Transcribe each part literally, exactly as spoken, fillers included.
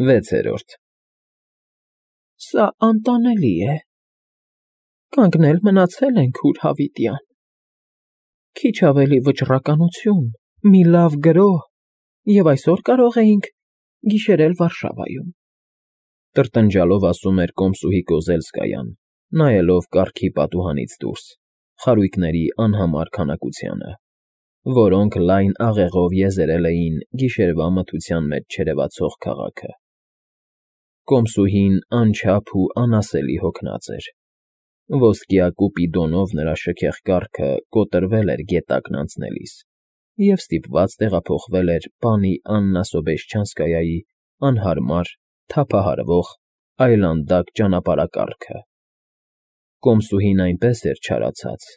Վեցերորդ Սա անտանելի է, կանգնել մնացել ենք ուր հավիտյան, քիչ ավելի վճռականություն, մի լավ գրոհ, և այսօր կարող էինք գիշերել Վարշավայում, տրտնջալով ասում էր կոմսուհի Կոզելսկայան, նայելով կառքի պատուհանից դուրս, խարույկների անհամար քանակությանը, որոնք լայն աղեղով եզերել էին գիշերվա մթության մեջ չերևացող քաղաքը. Կոմսուհին անչափ ու անասելի հոգնած էր, ոսկյա կուպիդոնով նրա շքեղ կառքը կոտրվել էր գետակն անցնելիս և ստիպված տեղափոխվել էր պանի Աննա Սոբեշչանսկայայի անհարմար, թափահարվող, այլանդակ ճանապարհակառքը. կոմսուհին այնպես էր չարացած,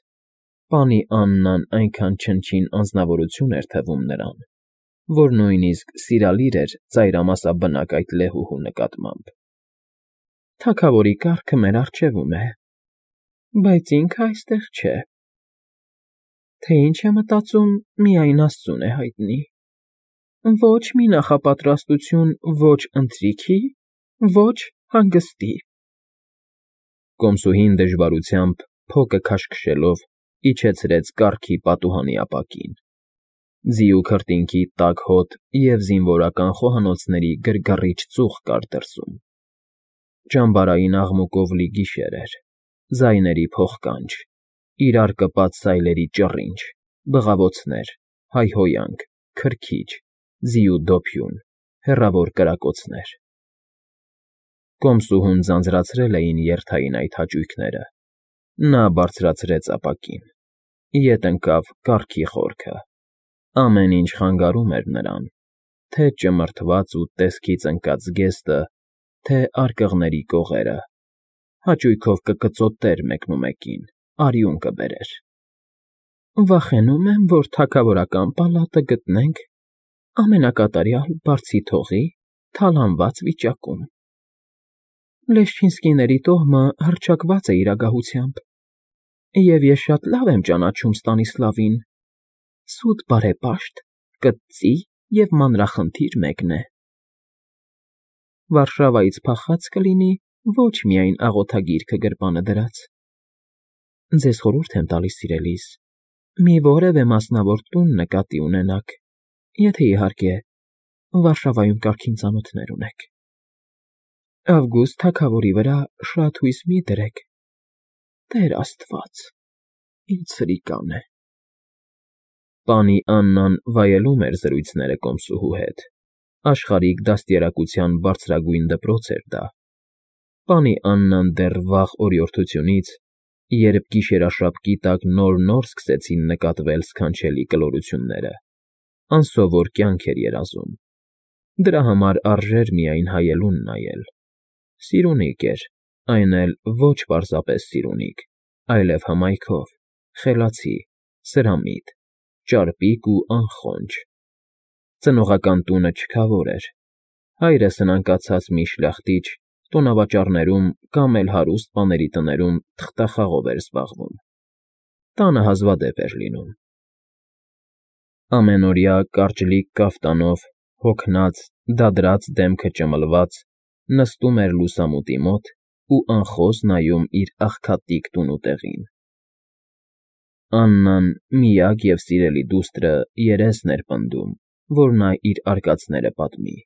պանի Աննան այնքան չնչին անձնավորություն էր թվում նրան, որ նույնիսկ սիրալիր էր ծայրամասաբնակ այդ լեհուհու նկատմամբ։ Թագավորի կառքը մեր առջևում է, բայց ինքը այստեղ չէ, թե ինչ է մտածում, միայն աստծուն է հայտնի, ոչ մի նախապատրաստություն ոչ ընթրիքի, ոչ հանգստի… Կոմսուհին դժվարությամբ, փոկը քաշքշելով, իջեցրեց կառքի պատուհանի ապակին, ձիու քրտինքի տաք հոտ և զինվորական խոհանոցների գրգռիչ ծուխ կար դրսում, ճամբարային աղմուկով լի գիշեր էր, ձայների փոխկանջ, իրար կպած սայլերի ճռինչ, բղավոցներ, հայհոյանք, քրքիջ, ձիու դոփյուն, հեռավոր կրակոցներ… Կոմսուհուն ձանձրացրել էին երթային այդ հաճույքները, նա բարձրացրեց ապակին, ետ ընկավ կառքի խորքը, ամեն ինչ խանգարում էր նրան, թե ճմրթված ու տեսքից ընկած զգեստը, թե արկղների կողերը, հաճույքով կկծոտեր մեկնումեկին, արյուն կբերեր… Վախենում եմ, որ թագավորական պալատը գտնենք ամենակատարյալ բարձիթողի, թալանված վիճակում… Լեշչինսկիների տոհմը հռչակված է իր ագահությամբ, և ես շատ լավ եմ ճանաչում Ստանիսլավին, սուտ բարեպաշտ, կծծի և մանրախնդիր մեկն է… Վարշավայից փախած կլինի ոչ միայն աղոթագիրքը գրպանը դրած… Ձեզ խորհուրդ եմ տալիս, սիրելիս, մի որևէ մասնավոր տուն նկատի ունենաք, եթե, իհարկե, Վարշավայում կարգին ծանոթներ ունեք… Ավգուստ թագավորի վրա շատ հույս մի դրեք, Տեր աստված, ինձ սրիկան է… Պանի Աննան վայելում էր զրույցները կոմսուհու հետ, աշխարհիկ դաստիարակության բարձրագույն դպրոց էր դա… Պանի Աննան դեռ վաղ օրիորդությունից, երբ գիշերաշապկի տակ նոր֊նոր սկսեցին նկատվել սքանչելի կլորությունները, անսովոր կյանք էր երազում, դրա համար արժեր միայն հայելուն նայել… Սիրունիկ էր, այն էլ ոչ պարզապես սիրունիկ, այլև հմայքով, խելացի, սրամիտ, ճարպիկ ու անխոնջ… Ծնողական տունը չքավոր էր, հայրը սնանկացած մի շլախտիչ տոնավաճառներում կամ էլ հարուստ պաների տներում թղթախաղով էր զբաղվում, տանը հազվադեպ էր լինում… Ամենօրյա կարճլիկ կաֆտանով, հոգնած, դադրած դեմքը ճմլված, նստում էր լուսամուտի մոտ ու անխոս նայում իր աղքատիկ տունուտեղին… Աննան, միակ և սիրելի դուստրը, երեսն էր պնդում, որ նա իր արկածները պատմի…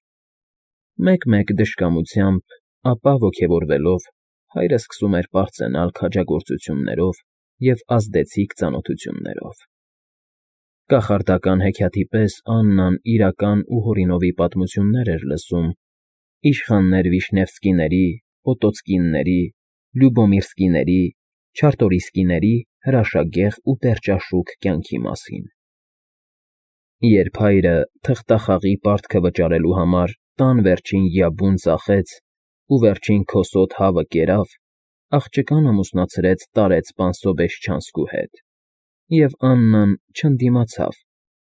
Մեկ֊մեկ դժկամությամբ, ապա ոգևորվելով, հայրը սկսում էր պարծենալ քաջագործություններով և ազդեցիկ ծանոթություններով… Կախարդական հեքիաթի պես Աննան իրական ու Հորինովի պատմություններ էր լսում իշխաններ Վիշնևսկիների, Պոտոցկինների, Լյուբոմիրսկիների, Չարտորիսկիների հրաշագեղ ու պերճաշուք կյանքի մասին… Երբ հայրը, թղթախաղի պարտքը վճարելու համար, տան վերջին յաբուն ծախեց ու վերջին քոսոտ հավը կերավ, աղջկան ամուսնացրեց տարեց պան Սոբեշչանսկու հետ, և Աննան չընդդիմացավ,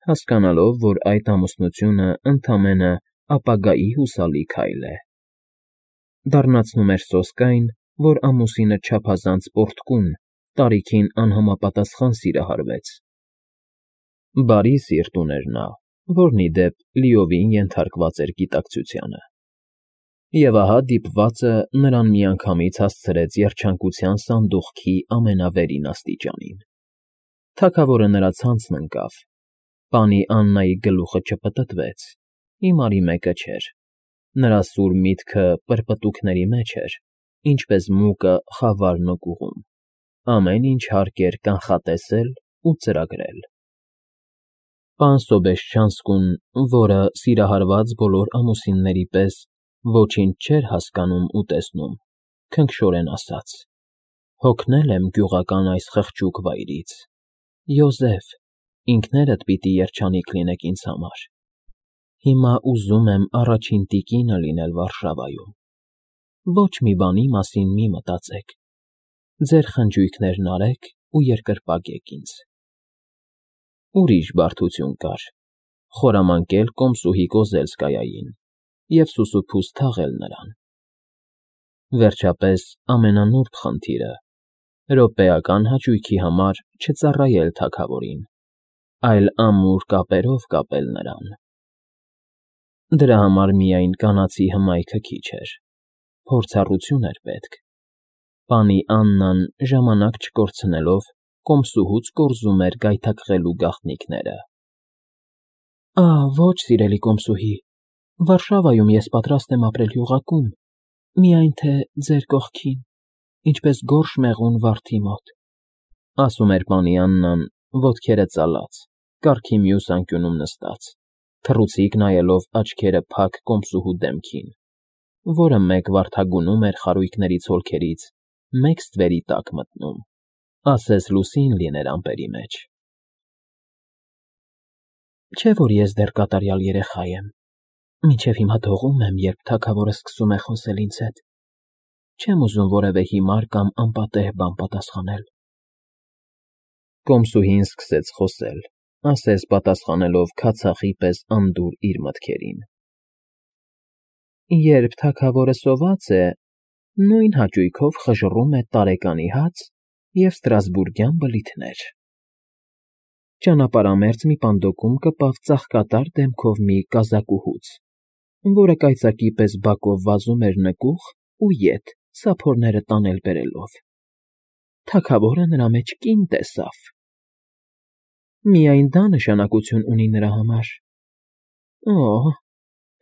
հասկանալով, որ այդ ամուսնությունը ընդամենը ապագայի հուսալի քայլ է… Դառնացնում էր սոսկայն, որ ամուսինը չափազանց պոռթկուն, տարիքին անհամապատասխան սիրահարվեց… Բարի սիրտ ուներ նա, որն, ի դեպ, լիովին ենթարկված էր գիտակցությանը… Եվ ահա դիպվածը նրան միանգամից հասցրեց երջանկության սանդուղքի ամենավերին աստիճանին. թագավորը նրա ցանցն ընկավ, պանի Աննայի գլուխը չպտտվեց, հիմարի մեկը չէր, նրա սուր միտքը պրպտուքների մեջ էր, ինչպես մուկը խավարն ու կուղում, ամեն ինչ հարկ էր կանխատեսել ու ծրագրել։ Պան Սոբեշչանսկուն, որը սիրահարված բոլոր ամուսինների պես ոչինչ չէր հասկանում ու տեսնում, քնքշորեն ասաց. «Հոգնել եմ գյուղական այս խղճուկ վայրից, Յոզեֆ, ինքներդ պիտի երջանիկ լինեք ինձ համար, հիմա ուզում եմ առաջին տիկինը լինել Վարշավայում, ոչ մի բանի մասին մի մտածեք, ձեր խնջույքներն արեք ու երկրպագեք ինձ»։ Ուրիշ բարդություն կար՝ խորամանկել Կոմսուհի Կոզելսկայային և սուսուփուս թաղել նրան։ Վերջապես ամենանուրբ խնդիրը՝ րոպեական հաճույքի համար չծառայել թագավորին, այլ ամուր կապերով կապել նրան։ Դրա համար միայն կանացի հմայքը քիչ էր, փորձառություն էր պետք։ Պանի Աննան ժամանակ չկորցնելով կոմսուհուց կորզում էր գայթակղելու գաղտնիքները։ Ահ, ոչ, սիրելի կոմսուհի, Վարշավայում ես պատրաստ եմ ապրել յուղակում, միայն թե ձեր կողքին, ինչպես գորշ մեղուն վարդի մոտ, ասում էր պանի Աննան, ոտքերը ծալած, կառքի մյուս անկյունում նստած, թռուցիկ նայելով աչքերը փակ կոմսուհու դեմքին, որը մեկ վարդագունում էր խարույկների ցոլքերից, մեկ ստվերի տակ մտնում, ասես լուսին լիներ ամպերի մեջ։ Չէ՞ որ ես դեռ կատարյալ երեխա եմ, մինչև հիմա դողում եմ, երբ թագավորը սկսում է խոսել ինձ հետ, չեմ ուզում որևէ հիմար կամ անպատեհ բան պատասխանել։ Կոմսուհին սկսեց խոսել, ասես պատասխանելով քացախի պես անդուր իր մտքերին։ Երբ թագավորը սոված է, նույն հաճույքով խժռում է տարեկանի հաց և ստրասբուրգյան բլիթներ։ Ճանապարհամերձ մի պանդոկում կպավ ծաղկատար դեմքով մի կազակուհուց, որը կայծակի պես բակով վազում էր նկուղ ու ետ սափորները տանել֊բերելով։ Թագավորը նրա մեջ կին տեսավ։ Միայն դա նշանակություն ունի նրա համար։ Օ՜,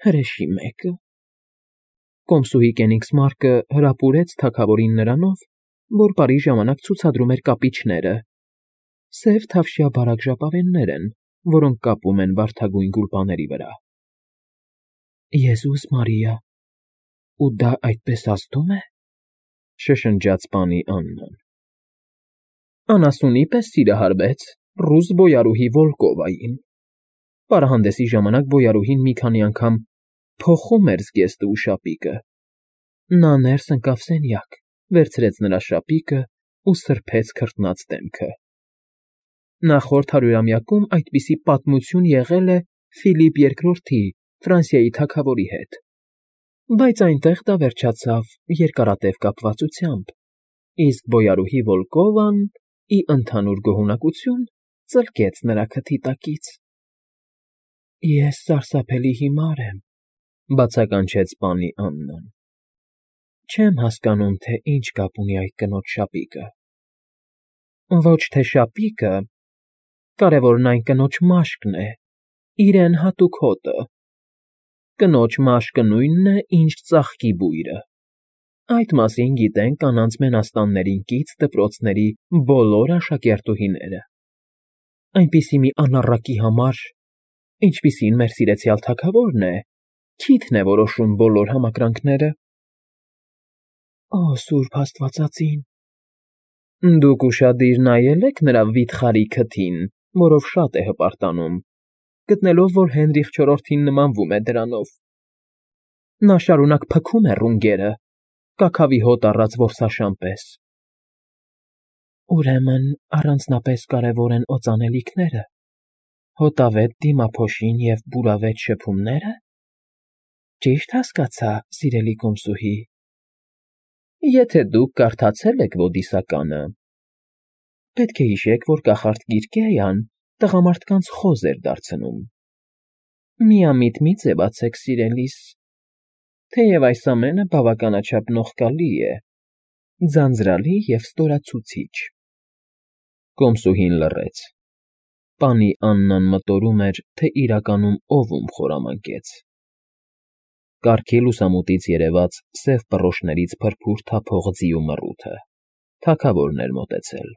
հրեշի մեկը։ Կոմսուհի Կենիգսմարկը հրապուրեց թագավորին նրանով, որ բարի ժամանակ ցուցադրում էր կապիչները։ Սև թավշյա բարակ ժապավեններ են, որոնք կապում են վարդագույն գուլպաների վրա։ Եզուս Մարիա, ու դա այդպես ազդու՞մ է, շշնջաց պանի Աննան։ Անասունի պես սիրահարվեց ռուս բոյարուհի Վոլկովային։ Պարահանդեսի ժամանակ բոյարուհին մի քանի անգամ փոխում էր զգեստը ու շապիկը։ Նա ներս ընկավ սենյակ, վերցրեց նրա շապիկը ու սրբեց քրտնած դեմքը։ Նախորդ հարյուրամյակում այդպիսի պատմություն եղել է Ֆիլիպ Երկրորդի, Ֆրանսիայի թագավորի հետ, բայց այնտեղ դա վերջացավ երկարատև կապվածությամբ, իսկ բոյարուհի Վոլկովան, ի ընդհանուր գոհունակություն, ծլկեց նրա քթի տակից։ Ես սարսափելի հիմար եմ, բացականչեց պանի Աննան։ Չեմ հասկանում, թե ինչ կապ ունի այդ կնոջ շապիկը։ Ոչ թե շապիկը, կարևորն այն կնոջ մաշկն է, իրեն հատուկ հոտը։ Կնոջ մաշկը նույնն է, ինչ ծաղկի բույրը։ Այդ մասին գիտեն կանանց մենաստաններին կից դպրոցների բոլոր աշակերտուհիները։ Այնպիսի մի անառակի համար, ինչպիսին մեր սիրեցյալ թագավորն է, քիթն է որոշում բոլոր համակրանքները։ Օ, սուրբ աստվածածին։ Դուք ուշադիր նայել եք նրա վիթխարի քթին, որով շատ է հպարտանում, գտնելով, որ Հենրիխ չորրորդին նմանվում է դրանով։ Նա շարունակ փքում է ռունգերը, կաքավի հոտ առած որսաշան պես։ Ուրեմն առանձնապես կարևոր են օծանելիքները, հոտավետ դիմափոշին և բուրավետ շփումնե՞րը։ Ճի՞շտ հասկացա, սիրելի կոմսուհի։ Եթե դուք կարդացել եք Ոդիսականը, պետք է հիշեք, որ կախարդ Կիրկեյան տղամարդկանց խոզ էր դարձնում։ Միամիտ մի ձևացեք, սիրելիս, Թեև այս ամենը բավականաչափ նողկալի է, ձանձրալի և ստորացուցիչ։ Կոմսուհին լռեց։ Պանի Աննան մտորում էր, թե իրականում ով ում խորամանկեց։ Կառքի լուսամուտից երևաց սև պռոշներից փրփուր թափող ձիու մռութը, թագավորն էր մոտեցել։